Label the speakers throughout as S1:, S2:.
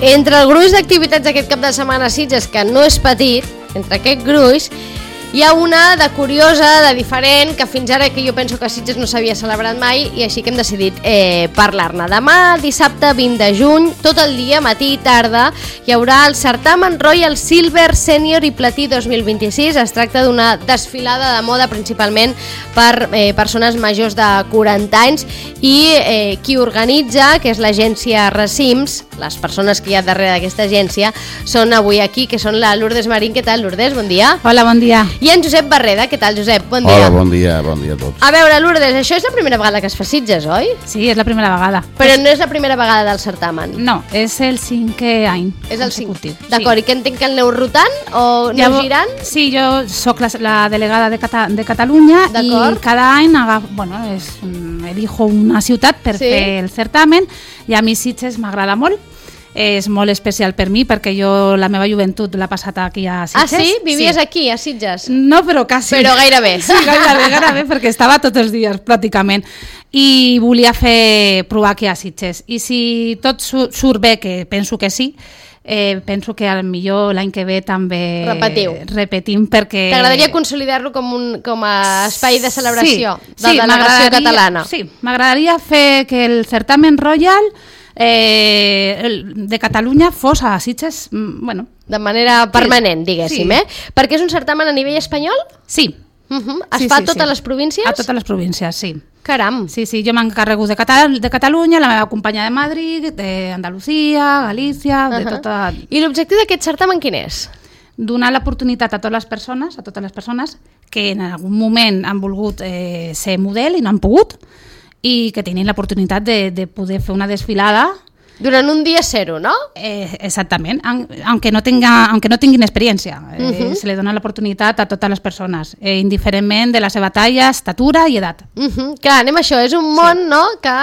S1: Entre el gruix d'activitats d'aquest cap de setmana a Sitges, que no és petit, entre aquest gruix, hi ha una de curiosa, de diferent, que fins ara que jo penso que a Sitges no s'havia celebrat mai i així que hem decidit parlar-ne. Demà, dissabte 20 de juny, tot el dia, matí i tarda, hi haurà el certamen Royal Silver Senior i Platí 2026. Es tracta d'una desfilada de moda principalment per persones majors de 40 anys i qui organitza, que és l'agència Recims, les persones que hi ha darrere d'aquesta agència, són avui aquí, que són la Lourdes Marín. Què tal, Lourdes? Bon dia.
S2: Hola, bon dia.
S1: I en Josep Barreda. Què tal, Josep? Bon dia.
S3: Hola, bon dia a tots.
S1: A veure, Lourdes, això és la primera vegada que es fa a Sitges, oi?
S2: Sí, és la primera vegada.
S1: Però no és la primera vegada del certamen.
S2: No, és el 5è any.
S1: És el 5. D'acord, i que entenc que el aneu rotant o aneu girant?
S2: Sí, jo sóc la delegada de Catalunya i cada any elijo una ciutat per fer el certamen i a mi Sitges m'agrada molt. És molt especial per mi perquè jo la meva joventut l'he passat aquí a Sitges.
S1: Ah, sí? Vivies aquí, a Sitges?
S2: No, però quasi.
S1: Però gairebé.
S2: Sí, gairebé, perquè estava tots els dies, pràcticament. I volia provar aquí a Sitges. I si tot surt bé, que penso que sí, penso que millor l'any que ve també repetim perquè...
S1: T'agradaria consolidar-lo com a espai de celebració de la delegació catalana?
S2: Sí, m'agradaria fer que el certamen Royal de Catalunya fos a Sitges,
S1: de manera permanent, diguéssim, Perquè és un certamen a nivell espanyol?
S2: Sí.
S1: Es fa a totes les províncies?
S2: A totes les províncies, sí.
S1: Caram!
S2: Sí, jo m'encarrego de Catalunya, la meva companya de Madrid, d'Andalusia, Galícia, de tota...
S1: I l'objectiu d'aquest certamen quin és?
S2: Donar l'oportunitat a totes les persones que en algun moment han volgut ser model i no han pogut, i que tinguin l'oportunitat de poder fer una desfilada.
S1: Durant un dia zero, ¿no?
S2: Exactament, aunque no tinguin experiència. Se li dona l'oportunitat a totes les persones, indiferentment de la seva talla, estatura i edat.
S1: Clar, anem a això, és un món que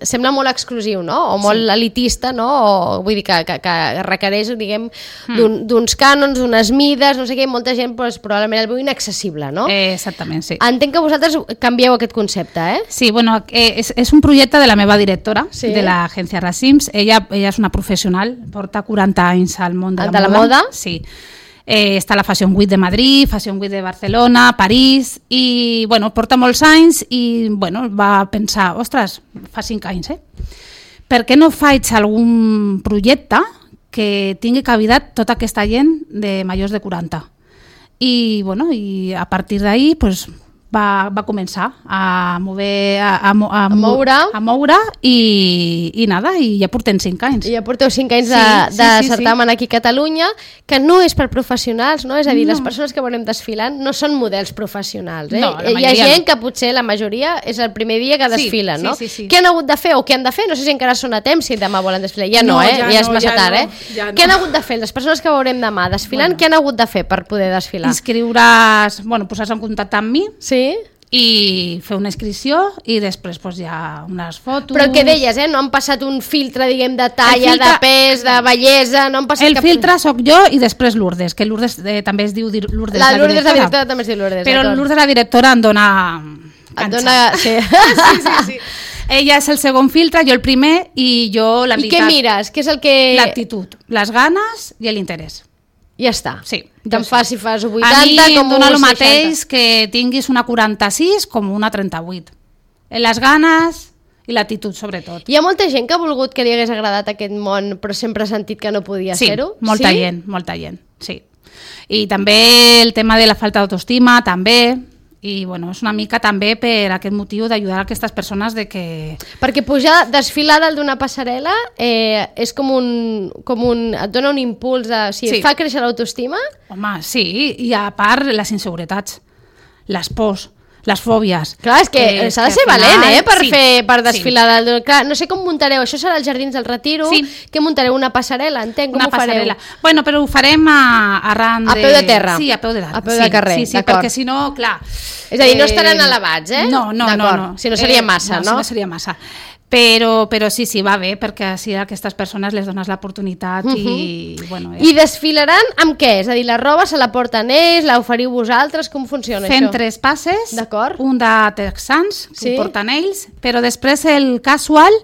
S1: sembla molt exclusiu, no? O molt elitista, no? O, vull dir que requereix, diguem, d'uns cànons, d'unes mides, no sé què, molta gent probablement el veu inaccessible, no?
S2: Exactament, sí.
S1: Entenc que vosaltres canvieu aquest concepte,
S2: Sí, bueno, és un projecte de la meva directora, de l'agència Recims. Ella és una professional, porta 40 anys al món de la moda. Sí. Està a la Fashion Week de Madrid, Fashion Week de Barcelona, París, i porta molts anys i va pensar, ostres, fa 5 anys, per què no faig algun projecte que tingui cabidat tota aquesta gent de majors de 40? I a partir d'ahir va començar a moure i ja portem 5 anys.
S1: I ja porteu 5 anys de certamen aquí a Catalunya, que no és per professionals, no? És a dir, les persones que veurem desfilant no són models professionals,
S2: No,
S1: hi ha gent que potser la majoria és el primer dia que desfilen, no? Què han hagut de fer o què han de fer? No sé si encara són a temps, si demà volen desfilar. Ja no, ja és massa tard, Què han hagut de fer les persones que veurem demà desfilant? Què han hagut de fer per poder desfilar?
S2: Inscriure's, posar-se en contacte amb mi.
S1: Sí.
S2: I fer una inscripció i després ja unes fotos.
S1: Però el que deies, no han passat un filtre, diguem, de talla, de pes, de bellesa, no han passat
S2: el filtre sóc jo i després Lourdes, que Lourdes també es diu Lourdes
S1: la directora també es diu Lourdes.
S2: Però Lourdes la directora em dona canxa. Sí. Ella és el segon filtre, jo el primer i jo la veritat.
S1: I què mires? Què és el que...
S2: L'actitud, les ganes i l'interès.
S1: Ja està.
S2: Sí.
S1: Te'n fa si fas 80 com un 60.
S2: A mi em dona el mateix que tinguis una 46 com una 38. Les ganes i l'actitud, sobretot.
S1: Hi ha molta gent que ha volgut que li hagués agradat aquest món, però sempre ha sentit que no podia ser-ho?
S2: Sí, molta gent, sí. I també el tema de la falta d'autoestima, també... I és una mica també per aquest motiu d'ajudar a aquestes persones de que...
S1: Perquè pujar, desfilar dalt d'una passarel·la és com un... et dona un impuls de... et fa créixer l'autoestima?
S2: Home, sí, i a part les inseguretats, les pors, les fòbies.
S1: Clar, és que s'ha de ser valent, per desfilar dalt. Clar, no sé com muntareu, això serà als Jardins del Retiro, que muntareu una passarel·la, entenc, com ho fareu?
S2: Bueno, però ho farem arran de...
S1: A peu de terra?
S2: Sí, a peu de terra.
S1: A peu de carrer,
S2: sí, perquè si no, clar...
S1: És a dir, no estaran elevats,
S2: No.
S1: Si no seria massa, no?
S2: Si no seria massa. Però sí, va bé, perquè així a aquestes persones les dones l'oportunitat i...
S1: I desfilaran amb què? És a dir, la roba se la porten ells, la oferiu vosaltres, com funciona això?
S2: Fem 3 passes, un de texans, que ho porten ells, però després el casual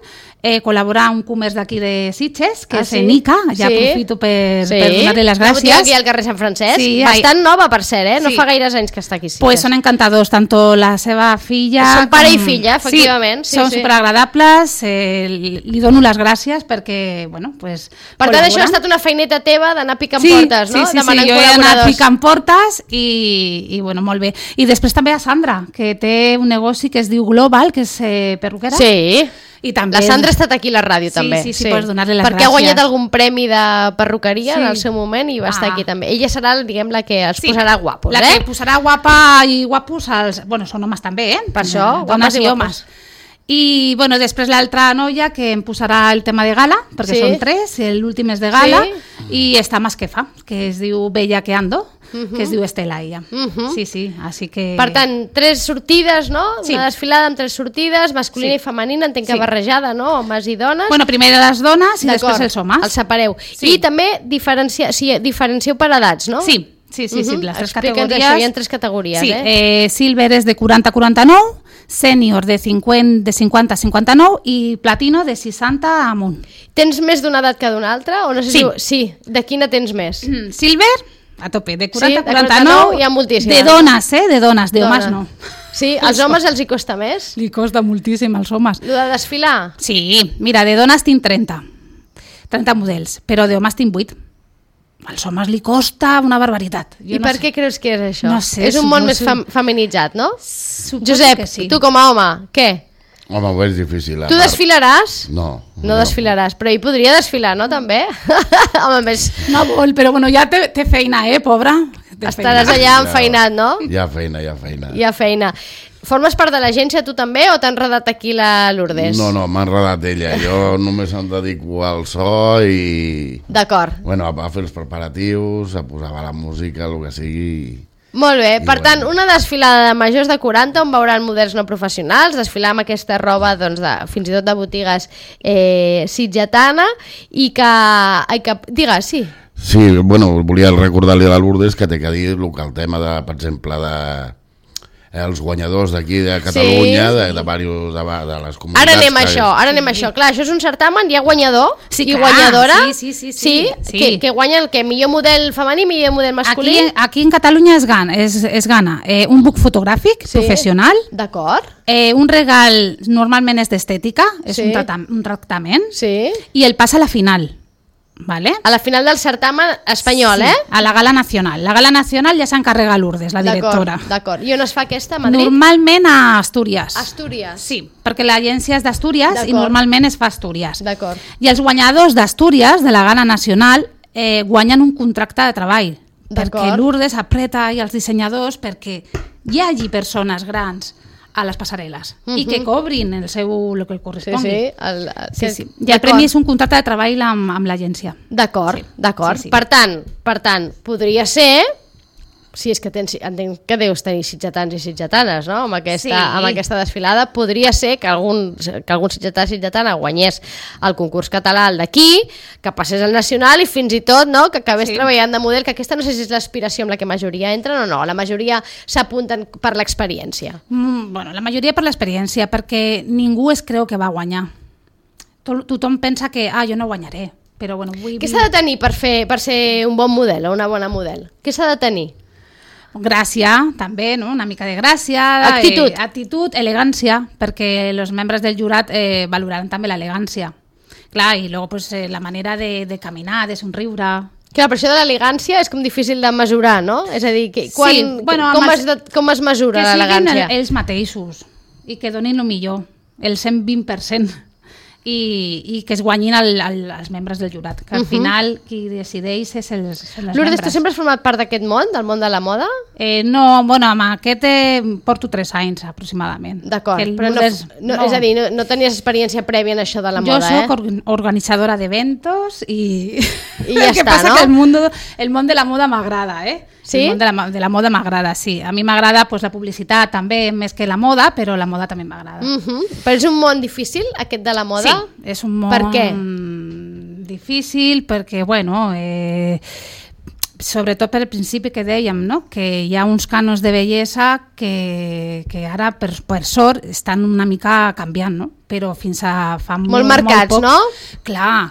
S2: col·laborar un comerç d'aquí de Sitges, que és Enica, ja aprofito per donar-li les gràcies.
S1: Una botiga aquí al carrer Sant Francesc, bastant nova per ser, no fa gaires anys que està aquí Sitges.
S2: Pues són encantadors, tanto la seva filla...
S1: Són pare i filla, efectivament.
S2: Són superagradables, li dono les gràcies perquè, bueno, pues...
S1: Per tant, això ha estat una feineta teva d'anar picant portes, no?
S2: Sí, jo he anat picant portes i, bueno, molt bé. I després també a Sandra, que té un negoci que es diu Global, que és perruquera.
S1: Sí. I també... La Sandra ha estat aquí a la ràdio, també.
S2: Sí, pots donar-li les gràcies.
S1: Perquè ha guanyat algun premi de perruqueria en el seu moment i va estar aquí també. Ella serà, diguem, la que els posarà guapos,
S2: La que posarà guapa i guapos als... Bueno, són homes també,
S1: Per això,
S2: dones i homes. I, bueno, després l'altra noia que em posarà el tema de gala, perquè són 3, l'últim és de gala, i està Masquefa, que es diu Bellaqueando, que es diu Estela, ella. Sí, així que...
S1: Per tant, 3 sortides, no? Una desfilada amb 3 sortides, masculina i femenina, entenc que barrejada, no? Homes i dones.
S2: Bueno, primer les dones i després els homes.
S1: Els separeu. I també diferencieu per edats, no?
S2: Sí, les 3 categories.
S1: Això, hi ha 3 categories,
S2: Silver és de 40 a 49, sènior de 50 a 59 i platino de 60 amunt.
S1: Tens més d'una edat que d'una altra? O no sé sí. De quina tens més?
S2: Silver, a tope, de 40 a 49,
S1: hi ha moltíssimes.
S2: De dones, de homes no.
S1: Sí, als homes els hi costa més?
S2: Li costa moltíssim als homes.
S1: Lo de desfilar?
S2: Sí, mira, de dones tinc 30 models, però de homes tinc 8. Als homes li costa una barbaritat.
S1: I per què creus que és això?
S2: No sé.
S1: És un món més feminitzat, no? Josep, tu com a home, què?
S3: Home, és difícil.
S1: Tu desfilaràs?
S3: No.
S1: No desfilaràs, però hi podria desfilar, no, també? Home, més...
S2: No vol, però bueno, ja té feina, pobra.
S1: Estaràs allà enfeinat, no?
S3: Hi ha feina.
S1: Hi ha feina. Formes part de l'agència tu també o t'ha enredat aquí la Lourdes?
S3: No, m'ha enredat ella. Jo només em dedico al so i...
S1: D'acord.
S3: Bueno, a fer els preparatius, a posar la música, el que sigui...
S1: Molt bé, per tant, una desfilada de majors de 40 on veuran models no professionals, desfilar amb aquesta roba doncs, fins i tot de botigues sitgetana i que... Digues, sí.
S3: Sí, bueno, volia recordar-li a la Lourdes que té que dir el tema, per exemple, els guanyadors d'aquí de Catalunya, de les comunitats.
S1: Ara anem a això. Clar, això és un certamen, hi ha guanyador i guanyadora.
S2: Sí.
S1: Que guanya el millor model femení i millor model masculí.
S2: Aquí en Catalunya es gana un book fotogràfic professional.
S1: D'acord.
S2: Un regal normalment és d'estètica, és un tractament.
S1: Sí.
S2: I el pas a la final. Vale.
S1: A la final del certamen espanyol,
S2: a la Gala Nacional. La Gala Nacional ja s'encarrega Lourdes, la directora.
S1: D'acord. I on es fa aquesta, a Madrid?
S2: Normalment a Astúries.
S1: Astúries?
S2: Sí, perquè l'agència és d'Astúries i normalment es fa a Astúries.
S1: D'acord.
S2: I els guanyadors d'Astúries, de la Gala Nacional, guanyen un contracte de treball. Perquè Lourdes apreta i els dissenyadors perquè hi hagi persones grans a les passarel·les i que cobrin el que correspongui. Sí. I el premi és un contracte de treball amb l'agència.
S1: D'acord. Per tant, podria ser, si és que entenc que deus tenir sitgetans i sitgetanes, no? Amb aquesta desfilada, podria ser que algun sitgetà o sitgetana guanyés el concurs català d'aquí, que passés al nacional i fins i tot que acabés treballant de model, que aquesta no sé si és l'aspiració amb la que majoria entren o no, la majoria s'apunten per l'experiència.
S2: Bueno, la majoria per l'experiència, perquè ningú es creu que va guanyar. Tothom pensa que jo no guanyaré, però bueno...
S1: Què s'ha de tenir per ser un bon model o una bona model? Què s'ha de tenir?
S2: Gràcia, també, no? Una mica de gràcia, actitud, elegància, perquè els membres del jurat valoraran també l'elegància. Clar, i luego pues, la manera de caminar, de somriure...
S1: Clar, però això de l'elegància és com difícil de mesurar, no? És a dir, com es mesura l'elegància?
S2: Que siguin ells mateixos i que donin el millor, el 120%. I que es guanyin els membres del jurat, que al final qui decideix és els membres.
S1: Lourdes, tu sempre has format part d'aquest món, del món de la moda?
S2: No, bueno, amb aquest porto 3 anys aproximadament.
S1: D'acord, però és a dir, no tenies experiència prèvia en això de la moda,
S2: Jo soc organitzadora d'eventos i
S1: ja està, no?
S2: El que passa que el món de la moda m'agrada, Sí? El món de la moda m'agrada, sí. A mi m'agrada la publicitat també, més que la moda, però la moda també m'agrada.
S1: Però és un món difícil, aquest de la moda?
S2: Sí, és un món...
S1: Per què?
S2: Difícil perquè, bueno, sobretot per el principi que dèiem, no? Que hi ha uns cànons de bellesa que ara, per sort, estan una mica canviant, no? però fins a fa
S1: molt marcats,
S2: molt poc,
S1: no?
S2: Clar.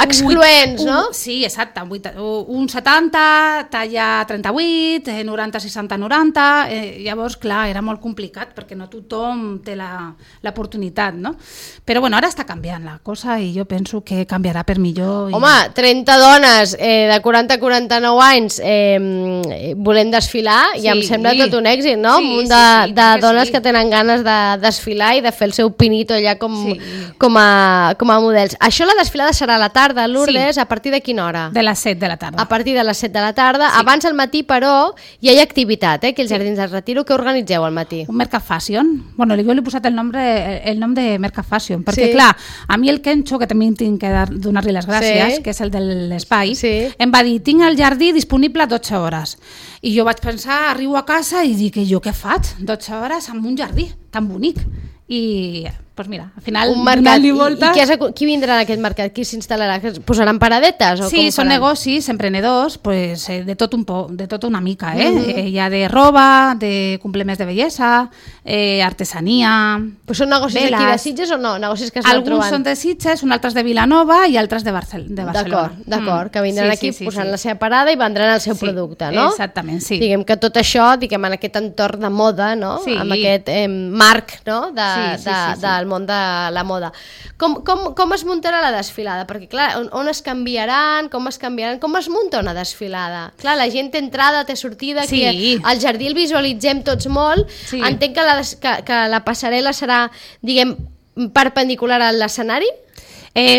S1: Excloents, no?
S2: Sí, exacte. Un 70, talla 38, 90, 60, 90... llavors, clar, era molt complicat perquè no tothom té l'oportunitat, no? Però bueno, ara està canviant la cosa i jo penso que canviarà per millor.
S1: Home, 30 dones de 40 a 49 anys volent desfilar, i em sembla tot un èxit, no? Un munt de dones que tenen ganes de desfilar i de fer el seu pinito allà com a models. Això, la desfilada serà a la tarda, Lourdes, a partir de quina hora?
S2: De les 7 de la tarda.
S1: A partir de les 7 de la tarda. Abans al matí, però, hi ha activitat, que els Jardins del Retiro. Què organitzeu al matí?
S2: Un Mercat Fashion. Bueno, jo li he posat el nom de Mercat Fashion, perquè clar, a mi el Kencho, que també tinc que donar-li les gràcies, que és el de l'espai, em va dir, tinc el jardí disponible 12 hores. I jo vaig pensar, arribo a casa i dic, jo què faig? 12 hores en un jardí tan bonic. I doncs mira, al final donant-li voltes...
S1: I qui vindrà en aquest mercat? Qui s'instal·larà? Posaran paradetes?
S2: Sí, són negocis emprenedors de tot una mica. Hi ha de roba, de complements de bellesa, artesania...
S1: Però són negocis aquí de Sitges o no? Negocis que es van trobant?
S2: Alguns són de Sitges, altres de Vilanova i altres de Barcelona.
S1: D'acord, que vindran aquí posant la seva parada i vendran el seu producte, no?
S2: Exactament, sí.
S1: Diguem que tot això, en aquest entorn de moda, no? Amb aquest marc, no? Del món de la moda. Com es muntarà la desfilada? Perquè clar, on es canviaran, com es munta una desfilada? Clar, la gent té entrada, té sortida, que al jardí el visualitzem tots molt, entenc que la passarel·la serà, diguem, perpendicular a l'escenari?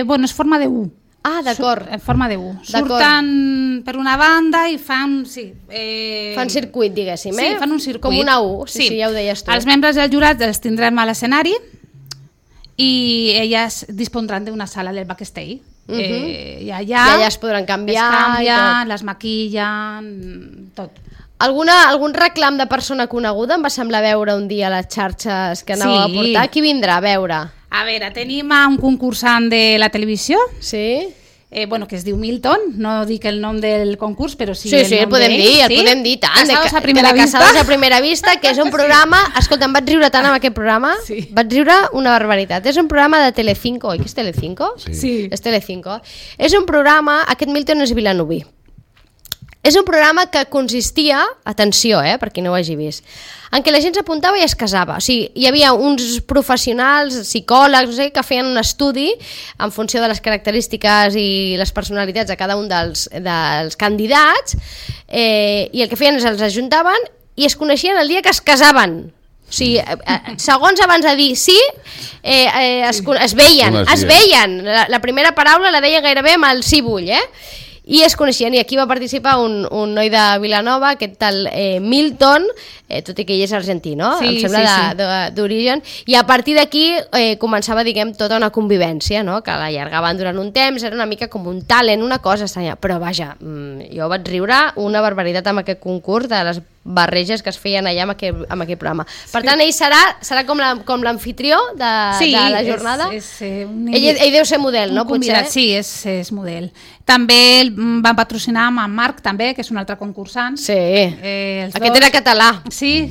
S2: Bueno, és forma de U.
S1: Ah, d'acord.
S2: En forma de U. Surten per una banda i fan...
S1: Fan circuit, diguéssim,
S2: Sí, fan un circuit.
S1: Com una U, sí, ja ho deies tu.
S2: Els membres del jurat els tindrem a l'escenari i elles dispondran d'una sala del backstage. I allà
S1: es podran canviar.
S2: Es canvien, les maquillen, tot.
S1: Algun reclam de persona coneguda em va semblar veure un dia a les xarxes que anàveu a portar? Qui vindrà a veure?
S2: A veure, tenim un concursant de la televisió.
S1: Sí.
S2: Que es diu Milton, no dic el nom del concurs, però sí,
S1: el podem dir, tant.
S2: Casados a primera vista.
S1: Casados a primera vista, que és un programa... Escolta, em vaig riure tant amb aquest programa, vaig riure una barbaritat. És un programa de Telecinco, oi que és Telecinco?
S2: Sí.
S1: És Telecinco. És un programa, aquest Milton és vilanoví. És un programa que consistia, atenció, per qui no ho hagi vist, en què la gent s'apuntava i es casava. O sigui, hi havia uns professionals, psicòlegs, no sé, que feien un estudi en funció de les característiques i les personalitats de cada un dels candidats, i el que feien és els ajuntaven i es coneixien el dia que es casaven. O sigui, segons abans de dir sí, es veien. La primera paraula la deien gairebé amb el sí vull, i es coneixien, i aquí va participar un noi de Vilanova, aquest tal Milton, tot i que ell és argentí, no? Em sembla d'origen, i a partir d'aquí començava, diguem, tota una convivència, no? Que l'allargaven durant un temps, era una mica com un talent, una cosa estranya, però vaja, jo vaig riure una barbaritat amb aquest concurs de les barreges que es feien allà amb aquest programa. Per tant, ell serà com l'amfitrió de la jornada? Ell deu ser model, no?
S2: Convidat, sí, és model. També el van patrocinar amb en Marc, també, que és un altre concursant.
S1: Sí, aquest era català.
S2: Sí.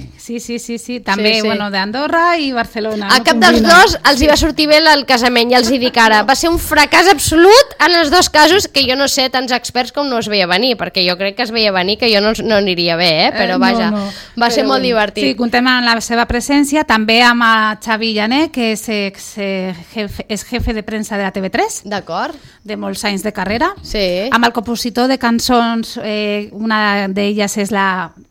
S2: També, bueno, d'Andorra i Barcelona.
S1: A cap dels dos els hi va sortir bé el casament, ja els hi dic ara. Va ser un fracàs absolut en els dos casos, que jo no sé, tants experts com no es veia venir, perquè jo crec que es veia venir que jo no aniria bé, però vaja, va ser molt divertit.
S2: Sí, contem amb la seva presència, també amb Xavi Llané, que és jefe de premsa de la TV3.
S1: D'acord.
S2: De molts anys de carrera.
S1: Sí.
S2: Amb el compositor de cançons, una d'elles és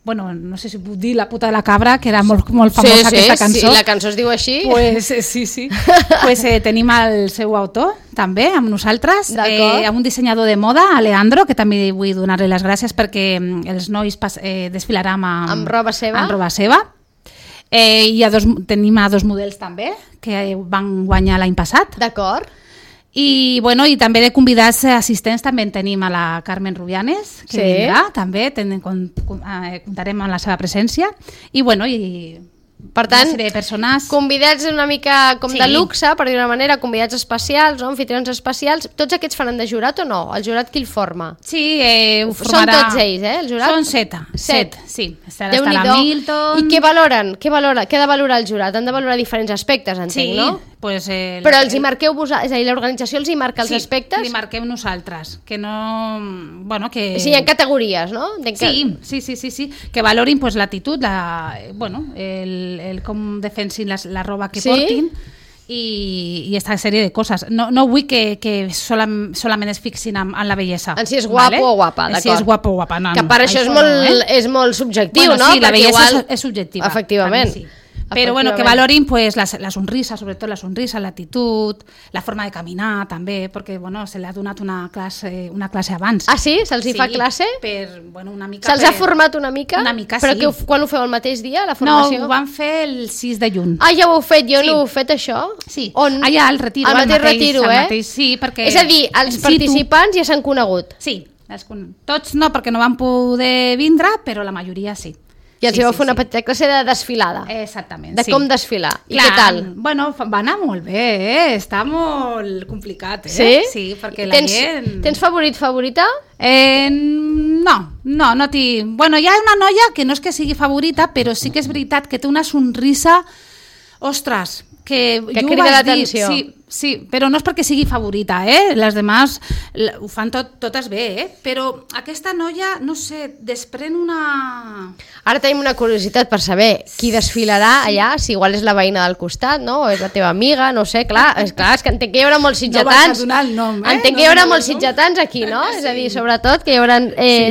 S2: bueno, no sé si puc dir, La puta de la cabra, que era molt famosa aquesta cançó.
S1: Sí, la cançó es diu així.
S2: Pues, sí. Pues, tenim el seu autor, també, amb nosaltres, amb un dissenyador de moda, Alejandro, que també vull donar-li les gràcies perquè els nois desfilaran amb
S1: roba seva.
S2: Amb roba seva. Tenim dos models també, que van guanyar l'any passat.
S1: D'acord.
S2: I també de convidats assistents també en tenim a la Carmen Rubianes, que vindrà també, comptarem amb la seva presència, i
S1: Per tant,
S2: una sèrie de persones.
S1: Convidats una mica com de luxe, per dir una manera, convidats especials, no? Anfitrions especials. Tots aquests faran de jurat o no? El jurat qui el forma?
S2: Sí, ho formarà...
S1: Són tots ells, el jurat?
S2: Són 7, sí. Estarà Milton...
S1: I què valoren? Què ha de valorar el jurat? Han de valorar diferents aspectes, entenc, no?
S2: Pues
S1: però els hi marqueu vosaltres, és a dir, l'organització els hi marca els aspectes?
S2: Sí, li marquem nosaltres, que no... Bueno, que...
S1: Sí, hi ha categories, no?
S2: Sí, que valorin pues, l'actitud, el com defensin la roba que portin i aquesta sèrie de coses. No vull que solament es fixin en la bellesa.
S1: En si és guapo o guapa, d'acord.
S2: Si és guapo o guapa, no.
S1: Que per això és molt subjectiu, no?
S2: Sí, la bellesa és subjectiva.
S1: Efectivament.
S2: Pero bueno, que valorin pues la sonrisa, sobretot la sonrisa, l'actitud, la forma de caminar també, perquè bueno, se li ha donat una classe abans.
S1: Ah, sí? Se'ls hi fa classe?
S2: Una mica.
S1: Se'ls ha format una mica?
S2: Una mica,
S1: però sí. Però quan ho feu el mateix dia, la formació?
S2: No, ho van fer el 6 de juny.
S1: Ah, ja ho heu fet, jo no ho he fet això?
S2: Sí, allà al retiro.
S1: Al mateix retiro,
S2: sí, perquè...
S1: És a dir, els participants ja s'han conegut?
S2: Sí, tots no, perquè no van poder vindre, però la majoria sí.
S1: I els vau fer una petita classe de desfilada.
S2: Exactament,
S1: de com desfilar. I què tal?
S2: Bueno, va anar molt bé, està molt complicat,
S1: Sí,
S2: perquè la gent...
S1: Tens favorita?
S2: No tinc... Bueno, hi ha una noia que no és que sigui favorita, però sí que és veritat que té una sonrisa... Ostres, que
S1: crida l'atenció.
S2: Sí, però no és perquè sigui favorita, les demás ho fan totes bé, però aquesta noia, no sé, desprèn una...
S1: Ara tenim una curiositat per saber qui desfilarà allà, si igual és la veïna del costat, no? O és la teva amiga, no sé, clar, és que entenc que hi haurà molts sitgetans.
S2: No vas a donar el nom,
S1: Entenc que hi haurà molts sitgetans aquí, no? És a dir, sobretot que hi haurà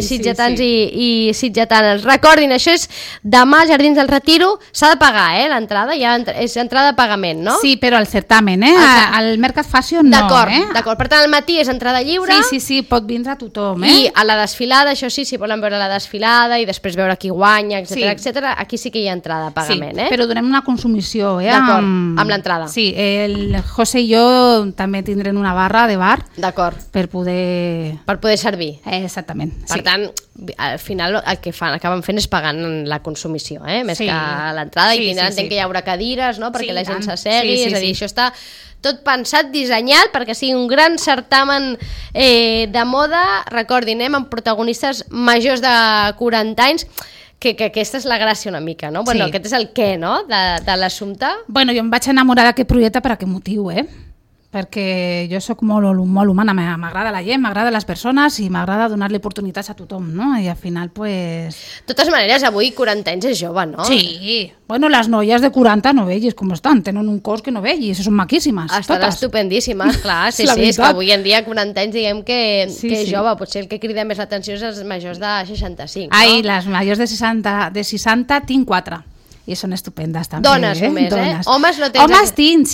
S1: sitgetans i sitgetanes. Recordin, això és demà als Jardins del Retiro, s'ha de pagar, l'entrada, és entrada de pagament, no?
S2: Sí, però al certamen, al Mercat Fashion no,
S1: D'acord, per tant al matí és entrada lliure.
S2: Sí, pot vindre tothom,
S1: I a la desfilada, això sí, si volen veure la desfilada i després veure qui guanya, etc, aquí sí que hi ha entrada de pagament,
S2: però donem una consumició,
S1: D'acord, amb l'entrada.
S2: Sí, el José i jo també tindrem una barra de bar.
S1: D'acord.
S2: Per poder
S1: servir.
S2: Exactament.
S1: Per tant, al final el que acaben fent és pagant la consumició, més que l'entrada, i tindran, entenc que hi haurà cadires, no?, perquè la gent s'assegui, és a dir, això està tot pensat, dissenyat perquè sigui un gran certamen de moda. Recordin, amb protagonistes majors de 40 anys, que aquesta és la gràcia una mica, no? Bueno, aquest és el què, no?, de l'assumpte.
S2: Bueno, jo em vaig enamorar d'aquest projecte per aquest motiu, perquè jo sóc molt humana, m'agrada la gent, m'agrada les persones i m'agrada donar-li oportunitats a tothom, no? I al final, pues...
S1: De totes maneres, avui 40 anys és jove, no?
S2: Sí, bueno, les noies de 40 no vegis com estan, tenen un cos que no vegis, són maquíssimes,
S1: estan
S2: totes.
S1: estupendíssimes, clar, sí, és que avui en dia 40 anys diguem que és jove, potser el que crida més l'atenció és els majors de 65, no?
S2: Ai, les majors de 60 tinc 4. I són estupendes també.
S1: Dones només,
S2: Dones.
S1: Homes no tens...
S2: Homes tinc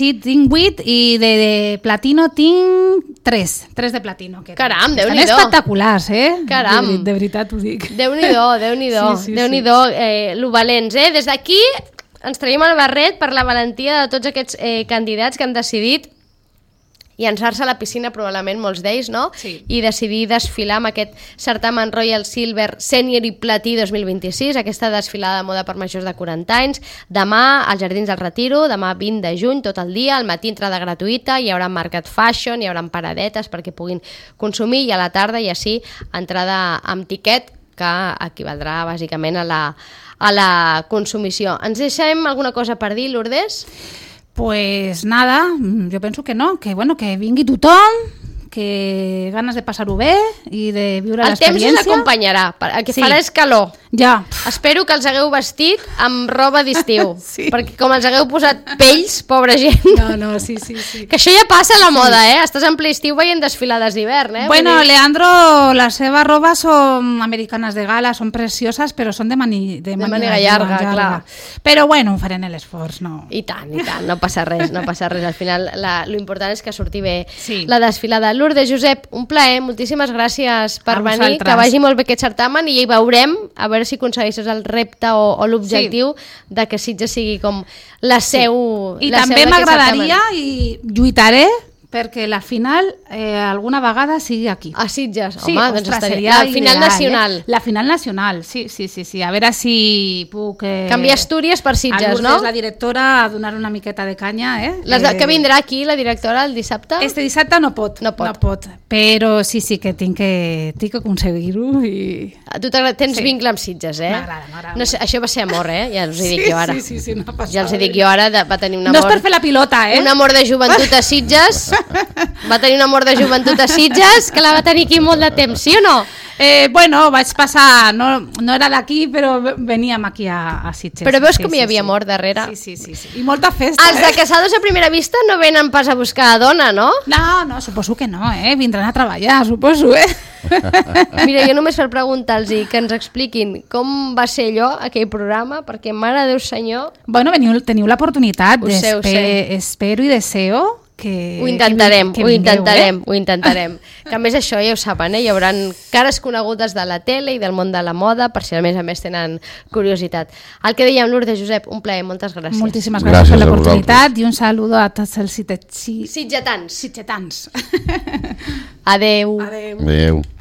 S2: 8 i de platino tinc 3 de platino.
S1: Caram, Déu-n'hi-do.
S2: Estan espectaculars,
S1: Caram.
S2: De veritat ho dic.
S1: Déu-n'hi-do, Déu-n'hi-do, lo valents, Des d'aquí ens traiem el barret per la valentia de tots aquests candidats que han decidit llançar-se a la piscina, probablement molts d'ells, no?
S2: Sí.
S1: I decidir desfilar amb aquest certamen Royal Silver Senior i Platí 2026, aquesta desfilada de moda per majors de 40 anys, demà als Jardins del Retiro, demà 20 de juny, tot el dia, al matí entrada gratuïta, hi haurà Market Fashion, hi haurà paradetes perquè puguin consumir, i a la tarda, i així, entrada amb tiquet, que equivaldrà bàsicament a la consumició. Ens deixem alguna cosa per dir, Lourdes?
S2: Pues nada, yo pienso que no, que bueno, que vingui tothom, que ganes de passar-ho bé i de viure l'experiència.
S1: El temps ens acompanyarà, el que farà és calor.
S2: Ja.
S1: Espero que els hagueu vestit amb roba d'estiu, perquè com els hagueu posat pells, pobra gent.
S2: No, sí.
S1: Que això ja passa a la moda, Estàs en ple estiu veient desfilades d'hivern,
S2: Bueno, Leandro, la seva roba són americanes de gala, són precioses, però són de màniga llarga, clar. Però bueno, farem l'esforç, no?
S1: I tant, no passa res, Al final, lo important és que surti bé la desfilada. Lourdes, Josep, un plaer, moltíssimes gràcies per venir, que vagi molt bé aquest certamen i hi veurem, a veure si aconsegueixes el repte o l'objectiu de que Sitges sigui com la seu.
S2: I també m'agradaria i lluitaré perquè la final alguna vegada sigui aquí.
S1: A Sitges,
S2: sí,
S1: home, doncs estaria... La final nacional.
S2: La final nacional, sí. A veure si puc...
S1: Canviar Astúries per Sitges, no?
S2: La directora a donar una miqueta de canya,
S1: Que vindrà aquí, la directora, el dissabte?
S2: Este dissabte no pot. Però sí que tinc que aconseguir-ho i...
S1: Tu tens vincle amb Sitges,
S2: M'agrada.
S1: No sé, això va ser amor, ja us hi dic jo ara.
S2: Sí, no ha passat.
S1: Ja els hi dic jo ara, va tenir un amor...
S2: No és per fer la pilota,
S1: Un amor de joventut a Sitges. Va tenir un amor de joventut a Sitges que la va tenir aquí molt de temps, sí o no?
S2: Vaig passar, no era d'aquí, però veníem aquí a Sitges.
S1: Però veus com hi havia amor darrere?
S2: Sí. I molta festa.
S1: Els de Casados a primera vista no venen pas a buscar dona, no?
S2: No, suposo que no, Vindran a treballar, suposo,
S1: Mira, jo només per preguntar-los que ens expliquin com va ser allò, aquell programa, perquè mare de Déu senyor...
S2: Bueno, teniu l'oportunitat, espero i deseo que...
S1: Ho intentarem. Que a més això ja ho saben, hi haurà cares conegudes de la tele i del món de la moda, per si a més tenen curiositat. El que dèiem, Lourdes, Josep, un plaer, moltes gràcies.
S2: Moltíssimes gràcies per l'oportunitat i un saludo a tots els sitgetans.
S1: Adeu.